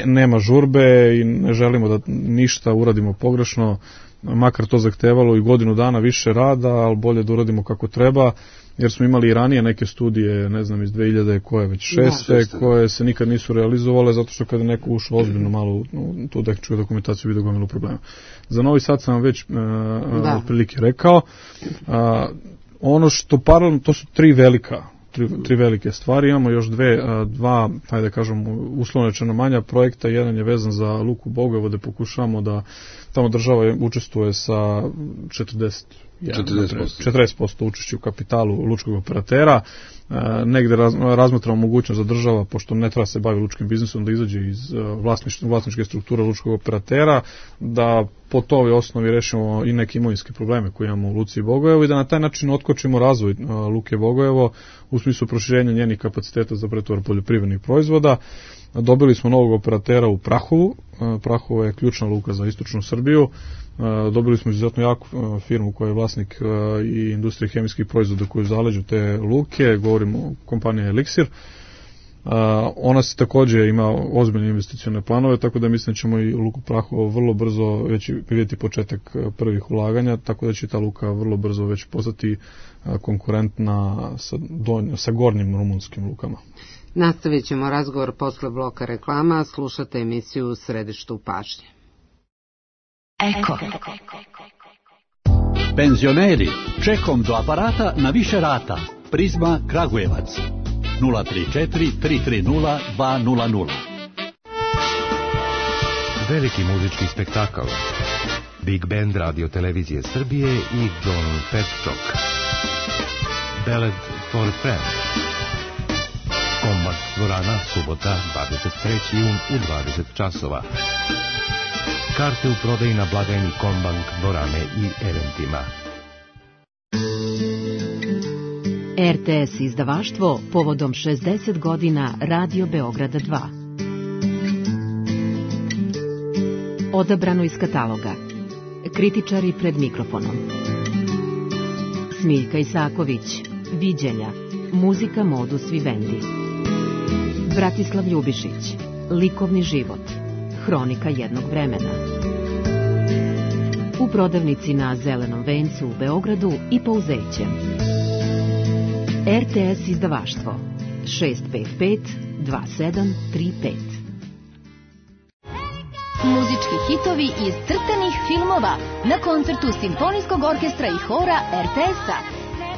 nema žurbe i ne želimo da ništa uradimo pogrešno, makar to zahtevalo i godinu dana više rada, ali bolje da uradimo kako treba, jer smo imali i ranije neke studije, ne znam, iz 2000 koje već 6. koje se nikad nisu realizovale, zato što kada neko ušao ozbiljno malo u tu tehničku dokumentaciju vidio gomilu problema. Za Novi Sad sam vam već otprilike rekao. Ono što paralelno, to su tri velike stvari, imamo još dva, hajde kažem, uslovno rečeno manja projekta. Jedan je vezan za Luku Bogojevo, gde pokušavamo da tamo država učestvuje sa 40% učešća u kapitalu lučkog operatera. Negde razmatramo mogućnost za država, pošto ne treba se bavi lučkim biznisom, da izađe iz vlasničke strukture lučkog operatera, da po toj osnovi rešimo i neke imovinske probleme koje imamo u Luci Bogojevo i da na taj način otkočimo razvoj Luke Bogojevo u smislu proširenja njenih kapaciteta za pretovar poljoprivrednih proizvoda. Dobili smo novog operatera u Prahovu. Prahovo je ključna luka za istočnu Srbiju. Dobili smo izuzetno jaku firmu koja je vlasnik i industrije hemijskih proizvoda koju zaleđu te luke, govorimo o kompaniji Elixir. Ona se također ima ozbiljne investicione planove, tako da mislim da ćemo i Luku Prahovo vrlo brzo već vidjeti početak prvih ulaganja, tako da će ta luka vrlo brzo već postati konkurentna sa gornjim rumunskim lukama. Nastavit ćemo razgovor posle bloka reklama, slušate emisiju u Središtu pažnje. Eko. Penzioneri, čekom do aparata na više rata. Prizma Kragujevac 034 330 200. Veliki muzički spektakl. Big Band Radio Televizije Srbije i John Petchok. Ballad for Friends. Kombat dvorana, subota, 23. jun u 20 časova. Karte u prodaji na blagajni Kombank dvorane i eventima. RTS izdavaštvo povodom 60 godina Radio Beograda 2. Odabrano iz kataloga. Kritičari pred mikrofonom. Smiljka Isaković, Viđenja, muzika Modus Vivendi. Bratislav Ljubišić, Likovni život, Hronika jednog vremena. u prodavnici na Zelenom vencu u Beogradu i Pouzećem. RTS izdavaštvo 655 2735. Muzički hitovi iz crtanih filmova na koncertu Simfonijskog orkestra i hora RTS-a.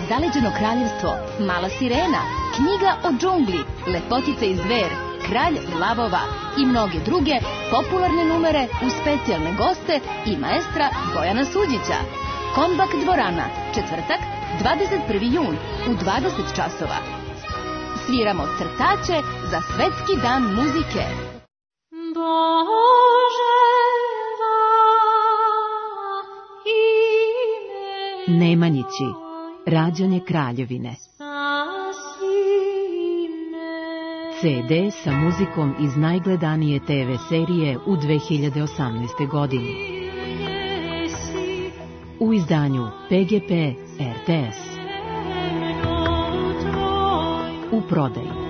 Zaleđeno kraljevstvo, Mala sirena, Knjiga o džungli, Lepotica i zver, Kralj lavova i mnoge druge popularne numere uz specijalne goste i maestra Bojana Suđića. Kombak dvorana, četvrtak, 21. jun u 20 časova. Sviramo crtaće za Svetski dan muzike. Nemanjići, rađanje kraljevine. CD sa muzikom iz najgledanije TV serije u 2018. godini. U izdanju PGP RTS. U prodaji.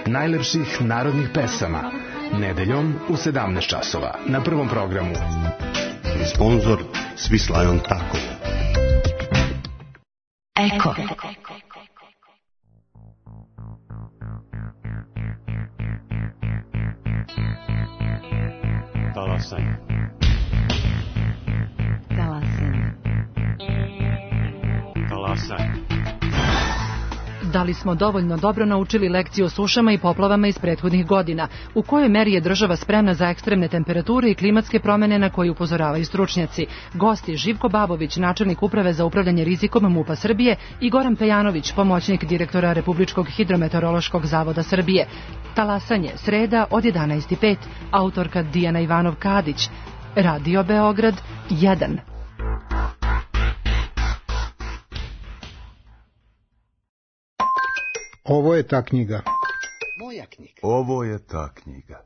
Najlepših narodnih pesama nedeljom u 17 časova na Prvom programu. Sponzor Swiss Tako. Eko. Talasanje. Talasanje. Talasanje. Da li smo dovoljno dobro naučili lekciju o sušama i poplavama iz prethodnih godina? U kojoj meri je država spremna za ekstremne temperature i klimatske promene na koje upozoravaju stručnjaci? Gosti Živko Babović, načelnik uprave za upravljanje rizikom MUP-a Srbije, i Goran Pejanović, pomoćnik direktora Republičkog hidrometeorološkog zavoda Srbije. Talasanje, sreda od 11:05, autorka Dijana Ivanov-Kadić. Radio Beograd 1. Ovo je ta knjiga. Moja knjiga. Ovo je ta knjiga.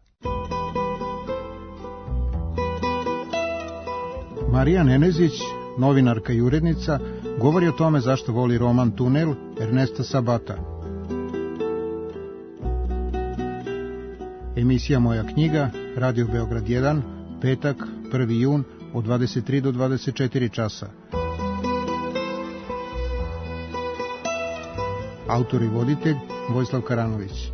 Marija Nenezić, novinarka i urednica, govori o tome zašto voli roman Tunel Ernesta Sabata. Emisija Moja knjiga, Radio Beograd 1, petak, 1. jun, od 23 do 24 časa. Autor i voditelj Vojislav Karanović.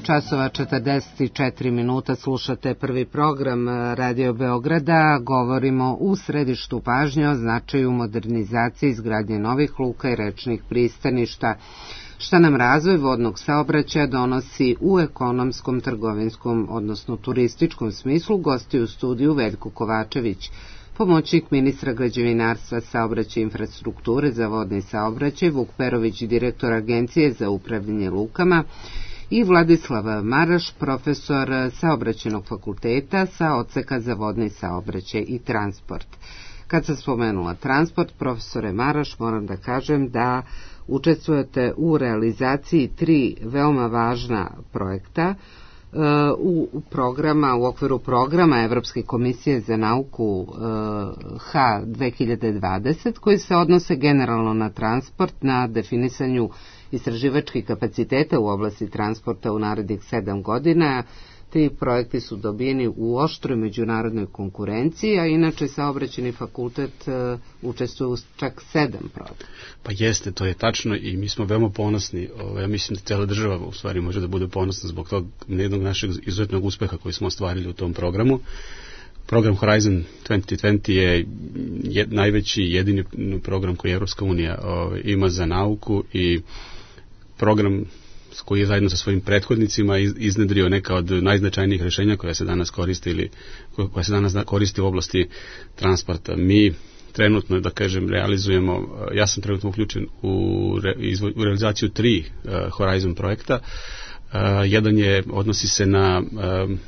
časova 44 minuta, slušate prvi program Radio Beograda. Govorimo u središtu pažnje o značaju modernizacije, izgradnje novih luka i rečnih pristaništa. Šta nam razvoj vodnog saobraćaja donosi u ekonomskom, trgovinskom, odnosno turističkom smislu, gosti u studiju Veljko Kovačević, pomoćnik ministra građevinarstva, saobraćaja i infrastrukture za vodni saobraćaj, Vuk Perović, direktor Agencije za upravljanje lukama, i Vladislav Maraš, profesor Saobraćajnog fakulteta sa odseka za vodni saobraćaj i transport. Kad sam spomenula transport, profesore Maraš, moram da kažem da učestvujete u realizaciji 3 veoma važna projekta u okviru programa Evropske komisije za nauku H 2020, koji se odnose generalno na transport, na definisanju istraživačkih kapaciteta u oblasti transporta u narednih 7 godina. Ti projekti su dobijeni u oštroj međunarodnoj konkurenciji, a inače Saobraćajni fakultet učestvuje u čak 7 projekta. Pa jeste, to je tačno i mi smo veoma ponosni. Ja mislim da cijela država u stvari može da bude ponosna zbog tog jednog našeg izuzetnog uspeha koji smo ostvarili u tom programu. Program Horizon 2020 je najveći jedini program koji Evropska unija ima za nauku i program koji je zajedno sa svojim prethodnicima iznedrio neka od najznačajnijih rješenja koja se danas koristi u oblasti transporta. Mi trenutno, da kažem, realizujemo, ja sam trenutno uključen u realizaciju 3 Horizon projekta. Jedan odnosi se na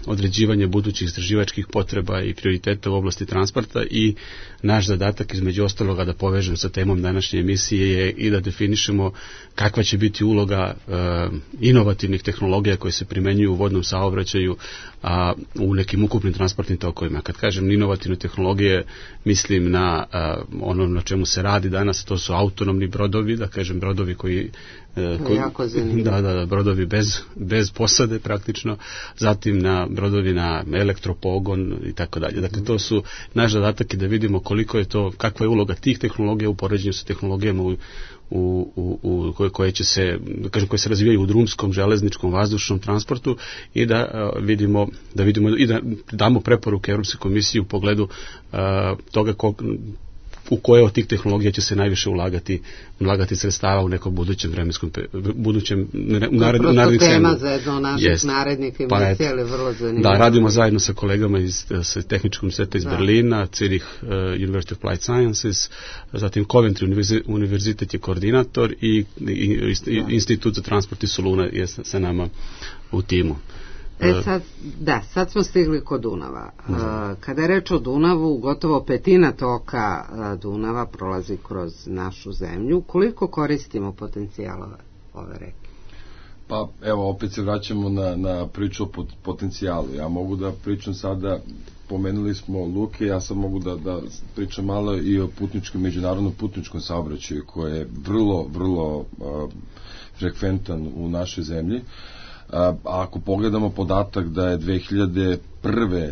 određivanje budućih istraživačkih potreba i prioriteta u oblasti transporta i naš zadatak između ostaloga da povežem sa temom današnje emisije je i da definišemo kakva će biti uloga inovativnih tehnologija koje se primenjuju u vodnom saobraćaju u nekim ukupnim transportnim tokovima. Kad kažem inovativne tehnologije, mislim na ono na čemu se radi danas, to su autonomni brodovi, da kažem brodovi koji brodovi bez posade praktično, zatim na brodovi na elektropogon i tako dalje. Dakle, to su naš zadatak i da vidimo koliko je to, kakva je uloga tih tehnologija u poređenju sa tehnologijama koje koje se razvijaju u drumskom, železničkom, vazdušnom transportu i da vidimo i da damo preporuke Europskoj komisiji u pogledu toga u koje od tih tehnologija će se najviše ulagati sredstava u nekom budućem vremenskom narednih tema za jedno naših narednih emisija, ali vrlo zanimljivo. Da, radimo zajedno sa kolegama sa Tehničkog univerziteta iz Berlina, Zurich University of Applied Sciences, zatim Coventry univerzitet je koordinator i Institut za transport iz Soluna je sa nama u timu. Sad smo stigli kod Dunava. Kada je reč o Dunavu, gotovo petina toka Dunava prolazi kroz našu zemlju. Koliko koristimo potencijala ove reke? Pa evo, opet se vraćamo na priču o potencijalu. Ja mogu da pričam sada, pomenuli smo luke, ja sad mogu da pričam malo i o međunarodnom putničkom saobraćaju koji je vrlo frekventan u našoj zemlji. Ako pogledamo podatak da je 2001.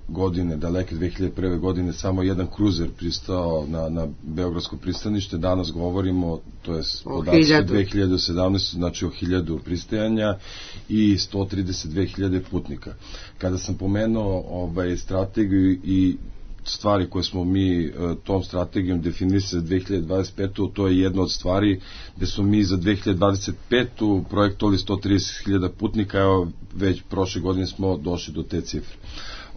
godine, daleke 2001. godine, samo jedan kruzer pristao na Beogradsko pristanište, danas govorimo, to je podatak 2017. znači o 1000 pristajanja i 132.000 putnika. Kada sam pomenuo strategiju i stvari koje smo mi tom strategijom definisali za 2025. to je jedna od stvari gde smo mi za 2025. projektovali 130.000 putnika, evo već prošle godine smo došli do te cifre.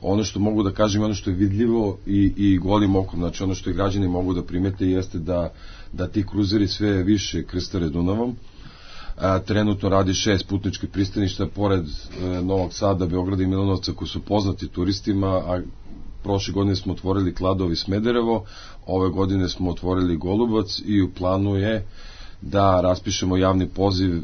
Ono što mogu da kažem, ono što je vidljivo i golim okom, znači ono što i građani mogu da primete jeste da ti kruzeri sve više krstare Dunavom. Trenutno radi 6 putničkih pristaništa pored Novog Sada, Beograda i Milanovca koji su poznati turistima, a prošle godine smo otvorili Kladovo i Smederevo, ove godine smo otvorili Golubac i u planu je da raspišemo javni poziv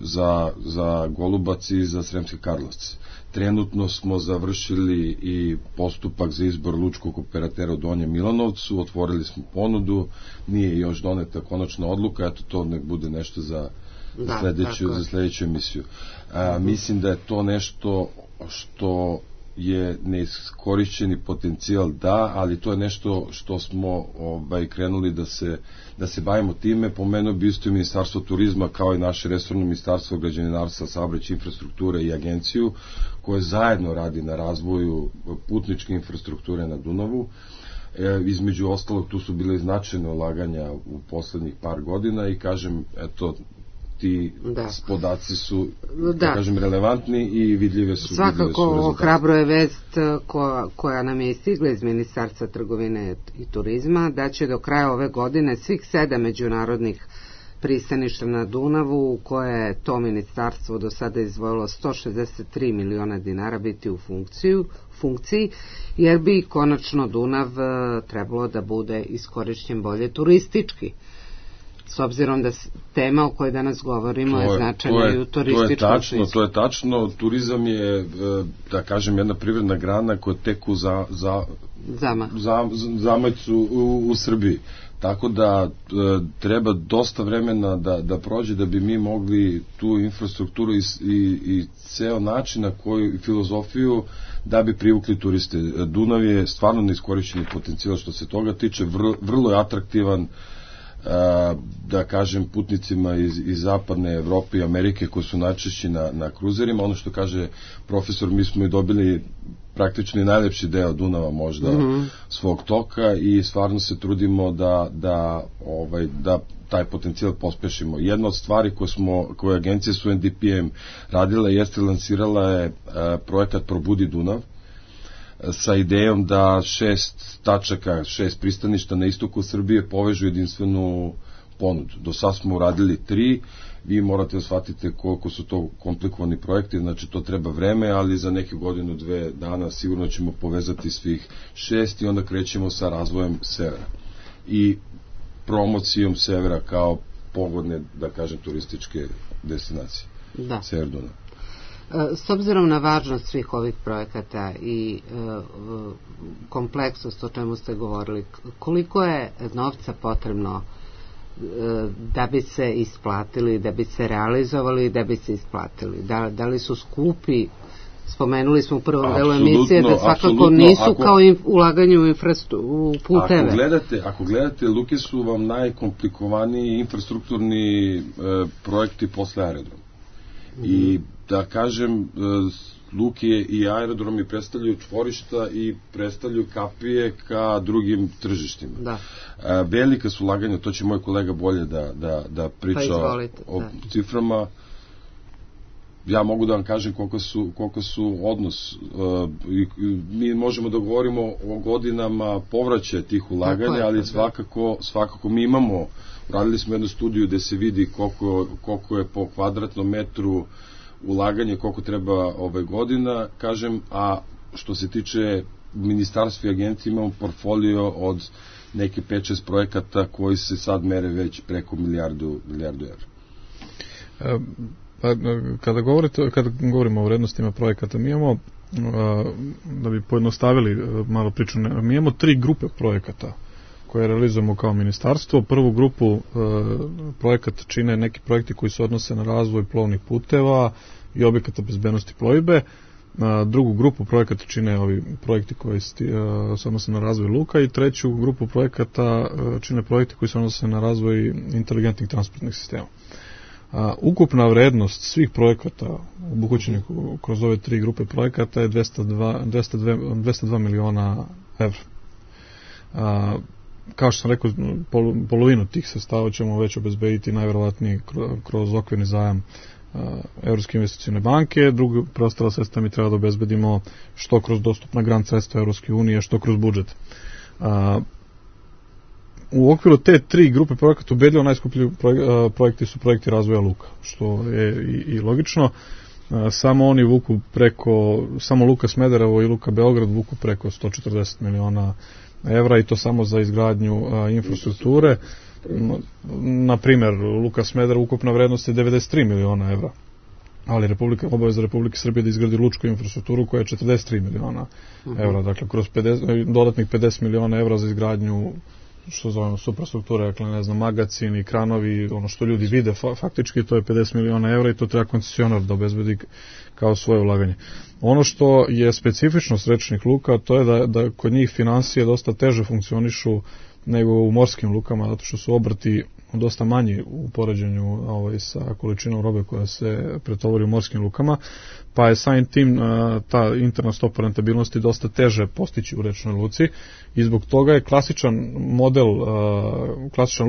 za Golubac i za Sremske Karlovce. Trenutno smo završili i postupak za izbor lučkog operatera u Donjem Milanovcu, otvorili smo ponudu, nije još doneta konačna odluka, eto to nek bude nešto za sledeću emisiju. Mislim da je to nešto što je neiskorišćeni potencijal, ali to je nešto što smo krenuli da se bavimo time. Pomenuo bi isto i Ministarstvo turizma kao i naše resorno Ministarstvo građevinarstva, saobraćaja, infrastrukture i agenciju koje zajedno radi na razvoju putničke infrastrukture na Dunavu. Između ostalog tu su bile značajne ulaganja u poslednjih par godina i kažem, eto, ti podaci su, da kažem, relevantni i vidljive su. Svakako ohrabro je vest koja nam je stigla iz Ministarstva trgovine i turizma, da će do kraja ove godine svih 7 međunarodnih pristaništa na Dunavu u koje je to ministarstvo do sada izdvojilo 163 miliona dinara biti u funkciji, jer bi konačno Dunav trebalo da bude iskorišćen bolje turistički. S obzirom da tema o kojoj danas govorimo je značajna i u turističkom smislu. To je tačno. Turizam je, da kažem, jedna privredna grana koja teku zamajcu u Srbiji. Tako da treba dosta vremena da prođe da bi mi mogli tu infrastrukturu i ceo način na koju filozofiju da bi privukli turiste. Dunav je stvarno neiskorišćeni potencijal što se toga tiče, vrlo je atraktivan, da kažem, putnicima iz zapadne Evrope i Amerike koji su najčešći na kruzerima. Ono što kaže profesor, mi smo i dobili praktično i najlepši deo Dunava možda svog toka i stvarno se trudimo da taj potencijal pospešimo. Jedna od stvari koje agencije su NDPM radila jeste lansirala je projekat Probudi Dunav sa idejom da 6 tačaka, 6 pristaništa na istoku Srbije povežu jedinstvenu ponudu. Do sad smo uradili 3, vi morate da shvatite koliko su to komplikovani projekti, znači to treba vreme, ali za neke godinu, 2 dana sigurno ćemo povezati svih 6 i onda krećemo sa razvojem severa i promocijom severa kao pogodne, da kažem, turističke destinacije. Da. Sever Dunav. S obzirom na važnost svih ovih projekata i kompleksnost o čemu ste govorili, koliko je novca potrebno da bi se isplatili, da bi se realizovali, da bi se isplatili? Da li su skupi? Spomenuli smo u prvom delu emisije da svakako nisu kao ulaganje u puteve. Ako gledate, luke su vam najkomplikovaniji infrastrukturni projekti posle aerodroma. I da kažem, luke i aerodromi predstavljaju čvorišta i predstavljaju kapije ka drugim tržištima. Da. Velika su ulaganja, to će moj kolega bolje da priča o ciframa. Ja mogu da vam kažem koliko su odnos. Mi možemo da govorimo o godinama povraćaja tih ulaganja, ali svakako mi imamo, radili smo jednu studiju gde se vidi koliko je po kvadratnom metru ulaganje, koliko treba godina, kažem, a što se tiče ministarstva i agencije imamo portfolio od neke 5-6 projekata koji se sad mere već preko milijardu evra. Kada govorimo o vrednostima projekata, mi imamo, da bi pojednostavili malo priču, mi imamo 3 grupe projekata koje realizujemo kao ministarstvo. Prvu grupu projekata čine neki projekti koji se odnose na razvoj plovnih puteva i objekata bezbednosti plovidbe. Drugu grupu projekata čine ovi projekti koji se odnose na razvoj luka i treću grupu projekata čine projekti koji se odnose na razvoj inteligentnih transportnih sistema. Ukupna vrednost svih projekata obuhvaćenih kroz ove 3 grupe projekata je 202 miliona evra. Kao što sam rekao, polovinu tih sredstava ćemo već obezbediti najverovatnije kroz okvirni zajam Evropske investicione banke, drugo preostala sredstva mi treba da obezbedimo što kroz dostupna grant sredstva Evropske unije, što kroz budžet. U okviru te 3 grupe projekata ubedljivo najskuplji projekti su projekti razvoja luka, što je i logično. Samo oni vuku samo Luka Smederevo i Luka Beograd vuku preko 140 miliona evra i to samo za izgradnju infrastrukture. Na primjer, Luka Smederevo ukupna vrednost je 93 miliona evra, ali obaveza Republike Srbije da izgradi lučku infrastrukturu koja je 43 miliona evra, dakle kroz dodatnih 50 miliona evra za izgradnju što zovemo suprastrukture, dakle ne znam, magacini, kranovi, ono što ljudi vide faktički, to je 50 miliona evra i to treba koncesionar da obezbedi kao svoje ulaganje. Ono što je specifičnost rečnih luka, to je da kod njih finansije dosta teže funkcionišu nego u morskim lukama, zato što su obrti dosta manji u poređenju sa količinom robe koja se pretovori u morskim lukama, pa je samim tim ta interna stopa rentabilnosti dosta teže postići u rečnoj luci i zbog toga je klasičan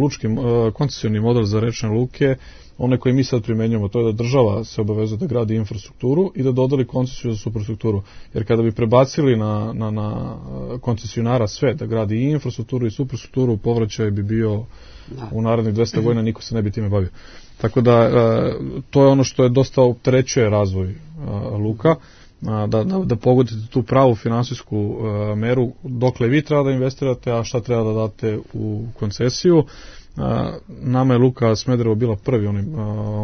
lučki koncesioni model za rečne luke onaj koji mi sad primenjujemo, to je da država se obavezuje da gradi infrastrukturu i da dodeli koncesiju za superstrukturu. Jer kada bi prebacili na koncesionara sve, da gradi i infrastrukturu i superstrukturu, povraćaj bi bio u narednih 200 godina, niko se ne bi time bavio. Tako da to je ono što je dosta opterećuje razvoj luka, da pogodite tu pravu finansijsku meru dokle vi treba da investirate, a šta treba da date u koncesiju. Nama je Luka Smederevo bila prvi onaj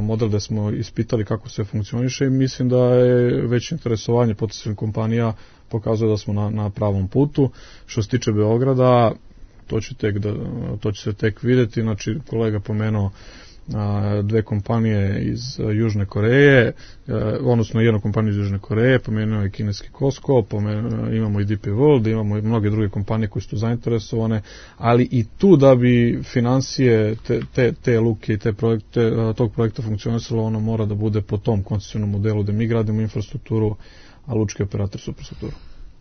model da smo ispitali kako sve funkcioniše i mislim da je već interesovanje potencijalnih kompanija pokazuje da smo na pravom putu. Što se tiče Beograda, to će se tek vidjeti, znači kolega pomenuo dve kompanije iz Južne Koreje, odnosno jednu kompaniju iz Južne Koreje, pomenuo je kineski Costco, imamo i DP World, imamo i mnoge druge kompanije koje su zainteresovane, ali i tu da bi financije te luke i tog projekta funkcionisalo, ono mora da bude po tom koncesionom modelu da mi gradimo infrastrukturu, a lučki operator superstrukturu.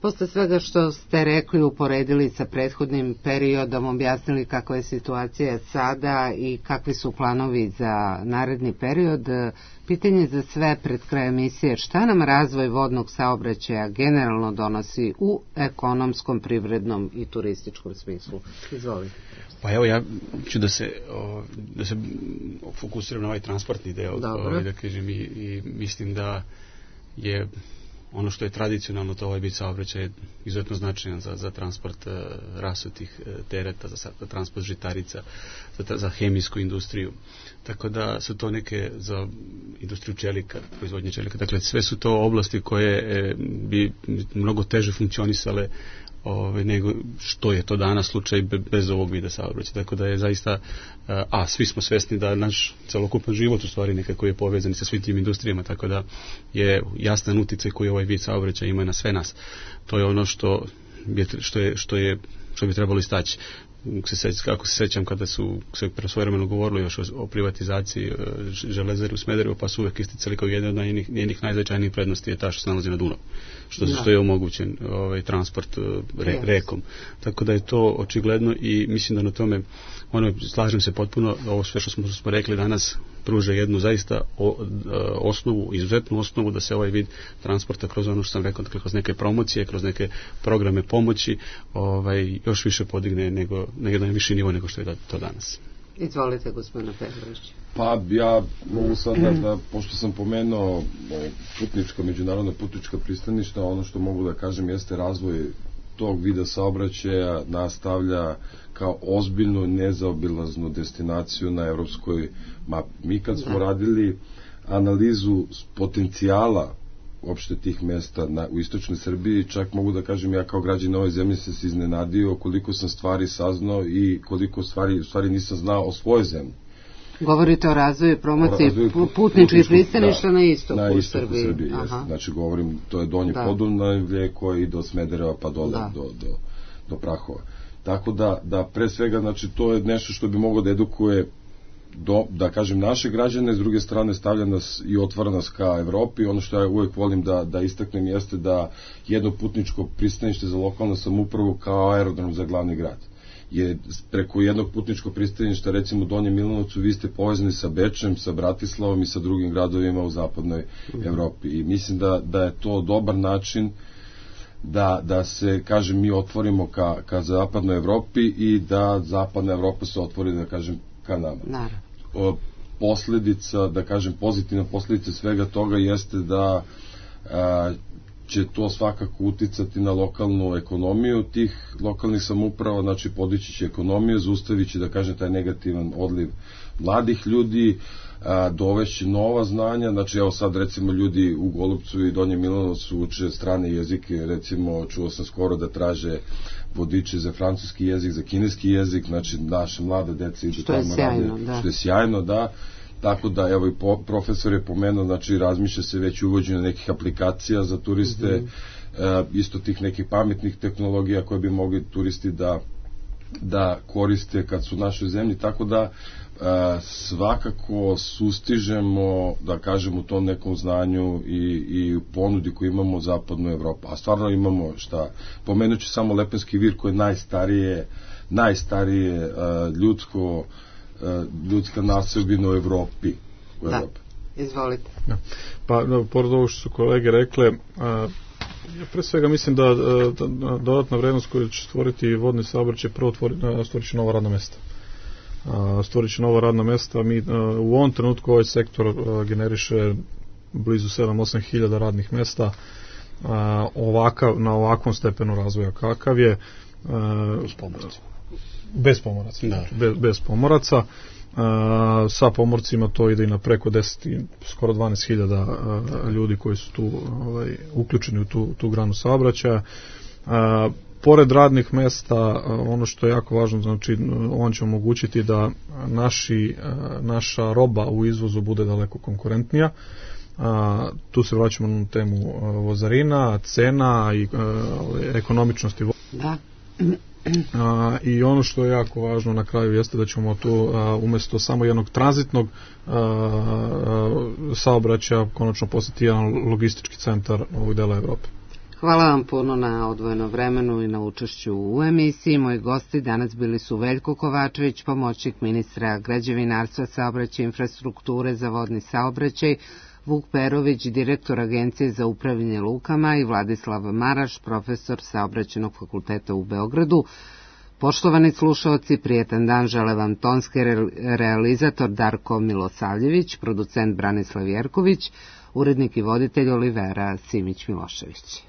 Posle svega što ste rekli, uporedili sa prethodnim periodom, objasnili kakva je situacija sada i kakvi su planovi za naredni period, pitanje za sve pred kraj emisije, šta nam razvoj vodnog saobraćaja generalno donosi u ekonomskom, privrednom i turističkom smislu? Izvolite. Pa evo, ja ću da se fokusiram na ovaj transportni deo, da kažem, i mislim da je ono što je tradicionalno, to ovaj vid saobraćaj je izuzetno značajan za transport rasutih tereta, za transport žitarica, za hemijsku industriju. Tako da su to neke za industriju čelika, proizvodnje čelika. Dakle, sve su to oblasti koje bi mnogo teže funkcionisale nego što je to danas slučaj bez ovog vida saobraćaja. Tako da je zaista, svi smo svesni da naš celokupan život u stvari nekako je povezan sa svim tim industrijama, tako da je jasan uticaj koji ovaj vid saobraćaja ima na sve nas. To je ono što bi trebalo istaći. Kako se sećam kada su se svojevremeno govorilo još o privatizaciji železare u Smederevu, pa su uvek isticali kao jedna od njenih najznačajnijih prednosti je ta što se nalazi na Dunavu, što je omogućen transport rekom. Tako da je to očigledno i mislim da na tome, slažem se potpuno, ovo sve što smo rekli danas pruža jednu zaista izuzetnu osnovu da se ovaj vid transporta kroz ono što sam rekao, dakle kroz neke promocije, kroz neke programe pomoći još više podigne nego na jedan viši nivo nego što je to danas. Izvolite, gospodine Petrović. Pa ja mogu sad da, pošto sam pomenuo međunarodna putnička pristaništa, ono što mogu da kažem jeste razvoj tog vida saobraćaja nastavlja kao ozbiljnu nezaobilaznu destinaciju na evropskoj mapi. Mi kad smo radili analizu potencijala uopšte tih mesta u istočnoj Srbiji, čak mogu da kažem ja kao građanin ove zemlje sam se iznenadio koliko sam stvari saznao i koliko stvari nisam znao o svojoj zemlji. Govorite o razvoju i promociji putničkih pristaništa na istoku Srbiji. Znači govorim, to je Donje Podunavlje koje i do Smedereva pa dole do Prahova. Tako da pre svega, znači to je nešto što bi moglo da edukuje da kažem naše građane, s druge strane stavlja nas i otvara nas ka Evropi. Ono što ja uvek volim da istaknem jeste da jedno putničko pristanište za lokalnu samoupravu kao aerodrom za glavni grad. Je preko jednog putničkog pristaništa, recimo u Donjem Milanovcu, vi ste povezani sa Bečem, sa Bratislavom i sa drugim gradovima u zapadnoj Evropi. I mislim da je to dobar način da se, kažem, mi otvorimo ka zapadnoj Evropi i da zapadna Evropa se otvori, da kažem, ka nama. Posledica, da kažem, pozitivna posledica svega toga jeste da će to svakako uticati na lokalnu ekonomiju tih lokalnih samouprava, znači podići će ekonomiju, zaustavit će, da kažem, taj negativan odliv mladih ljudi, dovešće nova znanja, znači evo sad recimo ljudi u Golubcu i Donjem Milanovcu uče strane jezike, recimo čuo sam skoro da traže vodiče za francuski jezik, za kineski jezik, znači naše mlade dece idu tamo rade, što je sjajno, da. Tako da, evo i profesor je pomenuo, znači razmišlja se već uvođenje nekih aplikacija za turiste, isto tih nekih pametnih tehnologija koje bi mogli turisti da da koriste kad su u našoj zemlji, tako da svakako sustižemo, da kažem, u tom nekom znanju i ponudi koju imamo u zapadnu Evropu. A stvarno imamo šta, pomenuću samo Lepenski vir koji je najstarije ljudska naseobina u Evropi. Da, izvolite. Ja. Pa, pored ovo što su kolege rekle, ja pre svega mislim da dodatna vrednost koju će stvoriti vodni saobraćaj prvo stvorit će nova radna mesta. Stvorit će nova radna mesta. Mi u ovom trenutku ovaj sektor generiše blizu 7-8 hiljada radnih mesta na ovakvom stepenu razvoja kakav je. Bez pomoraca. Bez pomoraca. Sa pomorcima to ide i na preko 10, skoro 12.000 ljudi koji su tu uključeni u tu granu saobraćaja. Pored radnih mesta, ono što je jako važno, znači on će omogućiti da naša roba u izvozu bude daleko konkurentnija. Tu se vraćamo na temu vozarina, cena i ekonomičnosti. Da. I ono što je jako važno na kraju jeste da ćemo tu umjesto samo jednog tranzitnog saobraćaja konačno postati jedan logistički centar ovog dela Evrope. Hvala vam puno na odvojenom vremenu i na učešću u emisiji. Moji gosti danas bili su Veljko Kovačević, pomoćnik ministra građevinarstva, saobraćaja i infrastrukture za vodni saobraćaj, Vuk Perović, direktor Agencije za upravljanje lukama i Vladislav Maraš, profesor Saobraćajnog fakulteta u Beogradu. Poštovani slušaoci, prijetan dan žele vam tonski realizator Darko Milosavljević, producent Branislav Jerković, urednik i voditelj Olivera Simić-Milošević.